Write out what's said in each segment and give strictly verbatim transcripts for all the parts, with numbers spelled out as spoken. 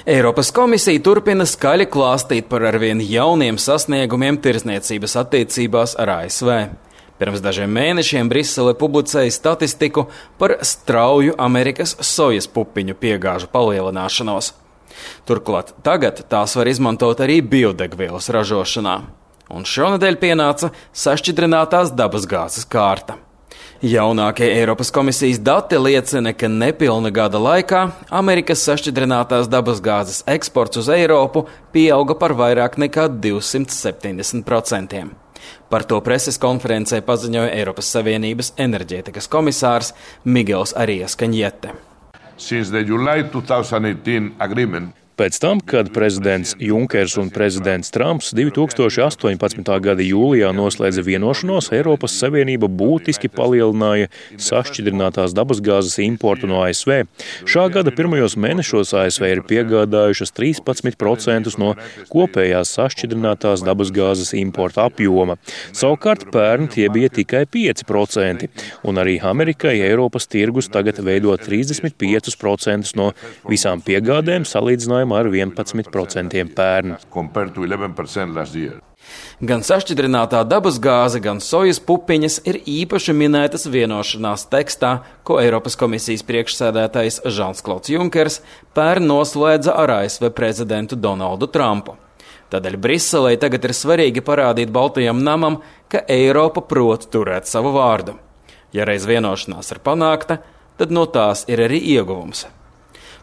Eiropas komisija turpina skaļi klāstīt par arvien jauniem sasniegumiem tirdzniecības attiecībās ar A S V. Pirms dažiem mēnešiem Brisele publicēja statistiku par strauju Amerikas sojas pupiņu piegāžu palielināšanos. Turklāt tagad tās var izmantot arī biodegvielas ražošanā. Un šonadēļ pienāca sašķidrinātās dabasgāzes kārta. Jaunākie Eiropas komisijas dati liecina, ka nepilna gada laikā Amerikas sašķidrinātās dabasgāzes eksports uz Eiropu pieauga par vairāk nekā divsimt septiņdesmit procentiem. Par to preses konferencē paziņoja Eiropas Savienības enerģētikas komisārs Miguels Arias Cañete. Since the July twenty eighteen agreement, Pēc tam, kad prezidents Junkers un prezidents Trumps divi tūkstoši astoņpadsmitā gada jūlijā noslēdza vienošanos, Eiropas Savienība būtiski palielināja sašķidrinātās dabasgāzes importu no A S V. Šā gada pirmajos mēnešos A S V ir piegādājušas trīspadsmit procentus no kopējās sašķidrinātās dabasgāzes importa apjoma. Savukārt pērn tie bija tikai pieci procenti, un arī Amerikai Eiropas tirgus tagad veido trīsdesmit piecus procentus no visām piegādēm salīdzinājumā ar vienpadsmit procentiem pērn. Gan sašķidrinātā dabasgāze, gan sojas pupiņas ir īpaši minētas vienošanās tekstā, ko Eiropas komisijas priekšsēdētājs Žans-Klauds Junkers pērn noslēdza ar A S V prezidentu Donaldu Trumpu. Tādēļ Briselei tagad ir svarīgi parādīt Baltajam namam, ka Eiropa prot turēt savu vārdu. Ja reiz vienošanās ir panākta, tad no tās ir arī ieguvums.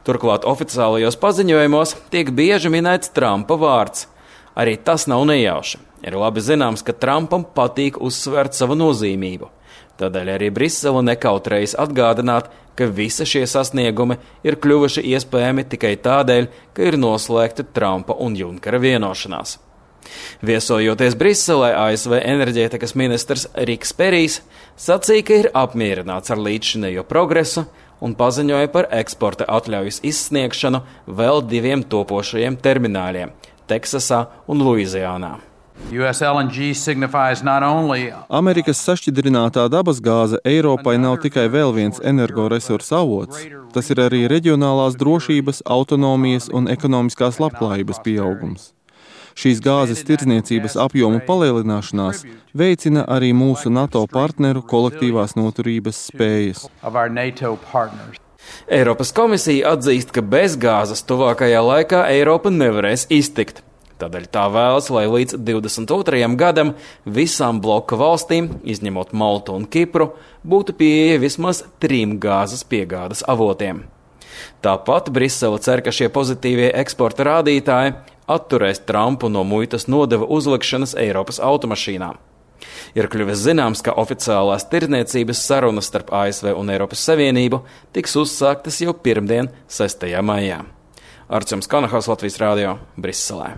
Turklāt oficiālajos paziņojumos tiek bieži minēts Trumpa vārds. Arī tas nav nejauši. Ir labi zināms, ka Trumpam patīk uzsvērt savu nozīmību. Tādēļ arī Brisele nekautrējas atgādināt, ka visi šie sasniegumi ir kļuvuši iespējami tikai tādēļ, ka ir noslēgta Trumpa un Junkera vienošanās. Viesojoties Briselē, A S V enerģētikas ministrs Riks Perijs sacīja, ka ir apmierināts ar līdzšinējo progresu un paziņoja par eksporta atļaujas izsniegšanu vēl diviem topošajiem termināļiem – Teksasā un Luizijānā. Amerikas sašķidrinātā dabasgāze Eiropai nav tikai vēl viens energoresursu avots. Tas ir arī reģionālās drošības, autonomijas un ekonomiskās labklājības pieaugums. Šīs gāzes tirdzniecības apjomu palielināšanās veicina arī mūsu NATO partneru kolektīvās noturības spējas. Eiropas komisija atzīst, ka bez gāzes tuvākajā laikā Eiropa nevarēs iztikt. Tādēļ tā vēlas, lai līdz divdesmit otrajam gadam visām bloka valstīm, izņemot Maltu un Kipru, būtu pieeja vismaz trim gāzes piegādes avotiem. Tāpat Brisele cer, ka šie pozitīvie eksporta rādītāji atturēs Trumpu no muitas nodeva uzlikšanas Eiropas automašīnām. Ir kļuvis zināms, ka oficiālās tirdzniecības sarunas starp A S V un Eiropas Savienību tiks uzsāktas jau pirmdien, sestajā maijā. Arčuns Kanahaus, Latvijas Rādio, Briselē.